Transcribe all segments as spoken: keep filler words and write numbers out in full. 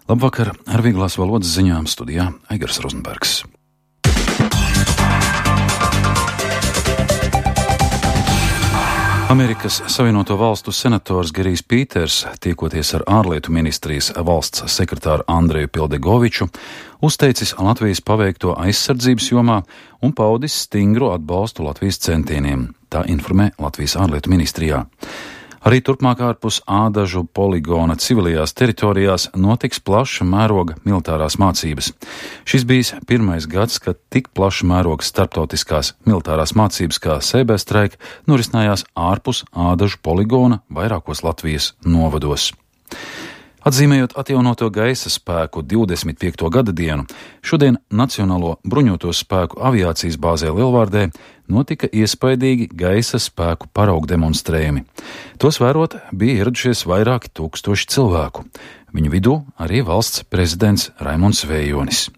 Labvakar, ar vieglās valodas ziņām studijā Aigars Rozenbergs. Amerikas Savienoto Valstu senators Gerijs Pīters, tiekoties ar ārlietu ministrijas valsts sekretāru Andreju Pildegoviču, uzteicis Latvijas paveikto aizsardzības jomā un paudis stingru atbalstu Latvijas centieniem. Tā informē Latvijas ārlietu ministrijā. Arī turpmāk ārpus Ādažu poligona civilajās teritorijās notiks plaša mēroga militārās mācības. Šis bijis pirmais gads, kad tik plaša mēroga starptautiskās militārās mācības kā Sēbēstraika norisinājās ārpus Ādažu poligona vairākos Latvijas novados. Atzīmējot atjaunoto gaisa spēku divdesmit piekto gada dienu, šodien Nacionālo bruņoto spēku aviācijas bāzē Lielvārdē notika iespaidīgi gaisa spēku paraugu demonstrējumi. Tos vērot bija ieradušies vairāki tūkstoši cilvēku. Viņu vidū arī valsts prezidents Raimonds Vējonis.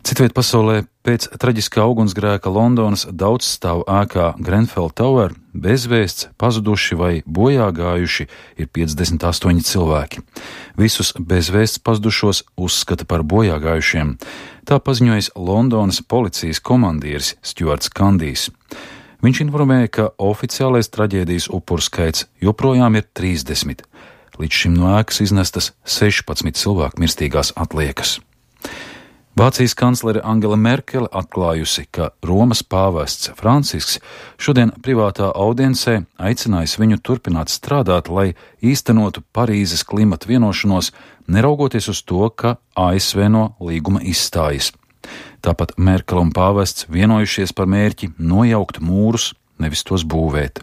Citviet pasaulē pēc traģiskā ugunsgrēka Londonas daudzstāvu ēkā Grenfell Tower bezvēsts, pazuduši vai bojā gājuši ir piecdesmit astoņi cilvēki. Visus bezvēsts pazudušos uzskata par bojā gājušiem. Tā paziņojis Londonas policijas komandieris Stuarts Kandijs. Viņš informēja, ka oficiālais traģēdijas upuru skaits joprojām ir trīsdesmit. Līdz šim no ēkas iznestas sešpadsmit cilvēku mirstīgās atliekas. Vācijas kanclere Angela Merkele atklājusi, ka Romas pāvests Francisks šodien privātā audiencē aicinājis viņu turpināt strādāt, lai īstenotu Parīzes klimata vienošanos, neraugoties uz to, ka A S V no līguma izstājas. Tāpat Merkele un pāvests vienojušies par mērķi nojaukt mūrus, nevis tos būvēt.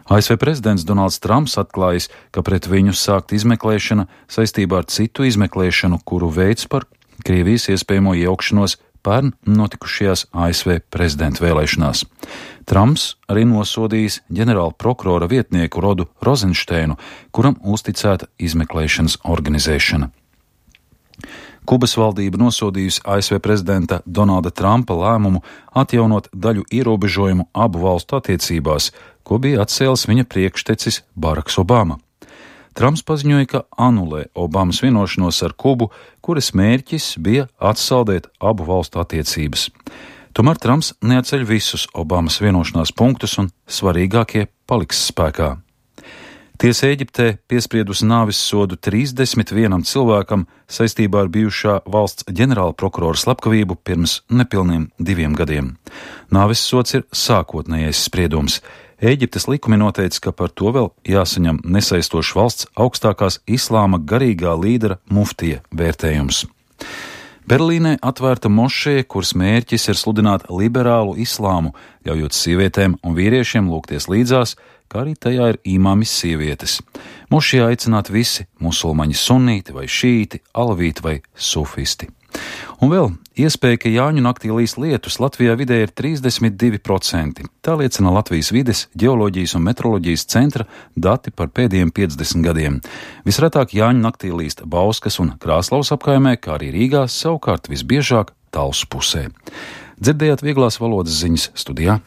A S V prezidents Donalds Trumps atklājis, ka pret viņu sākt izmeklēšana saistībā ar citu izmeklēšanu, kuru veids par Krievijas iespējamo iejaukšanos pērn notikušajās A S V prezidenta vēlēšanās. Trumps arī nosodījis ģenerāla prokurora vietnieku Rodu Rozensteinu, kuram uzticēta izmeklēšanas organizēšana. Kubas valdība nosodījusi A S V prezidenta Donalda Trumpa lēmumu atjaunot daļu ierobežojumu abu valstu attiecībās, ko bija atcēlis viņa priekštecis Baraks Obama. Trumps paziņoja, ka anulē Obamas vienošanos ar Kubu, kuras mērķis bija atsaldēt abu valstu attiecības. Tomēr Trumps neatceļ visus Obamas vienošanās punktus un svarīgākie paliks spēkā. Tiesa Ēģiptē piespriedusi nāves sodu trīsdesmit vienam cilvēkam saistībā ar bijušā valsts ģenerāla prokurora slepkavību pirms nepilniem diviem gadiem. Nāves sods ir sākotnējais spriedums. Ēģiptes likumi noteica, ka par to vēl jāsaņem nesaistošs valsts augstākās islāma garīgā līdera muftija vērtējums. Berlīnē atvērta mošeja, kuras mērķis ir sludināt liberālu islāmu, ļaujot sievietēm un vīriešiem lūgties līdzās, kā arī tajā ir imāmis sievietes. Mošejā aicināt visi musulmaņi sunīti vai šīti, alavīti vai sufisti. Un vēl iespēja, ka Jāņu naktī līs lietus Latvijā vidē ir trīsdesmit divi procenti. Tā liecina Latvijas vides, ģeoloģijas un metroloģijas centra dati par pēdējiem piecdesmit gadiem. Visretāk Jāņu naktī līst Bauskas un Krāslaus apkaimē, kā arī Rīgā, savukārt visbiežāk Talsu pusē. Dzirdējāt vieglās valodas ziņas studijā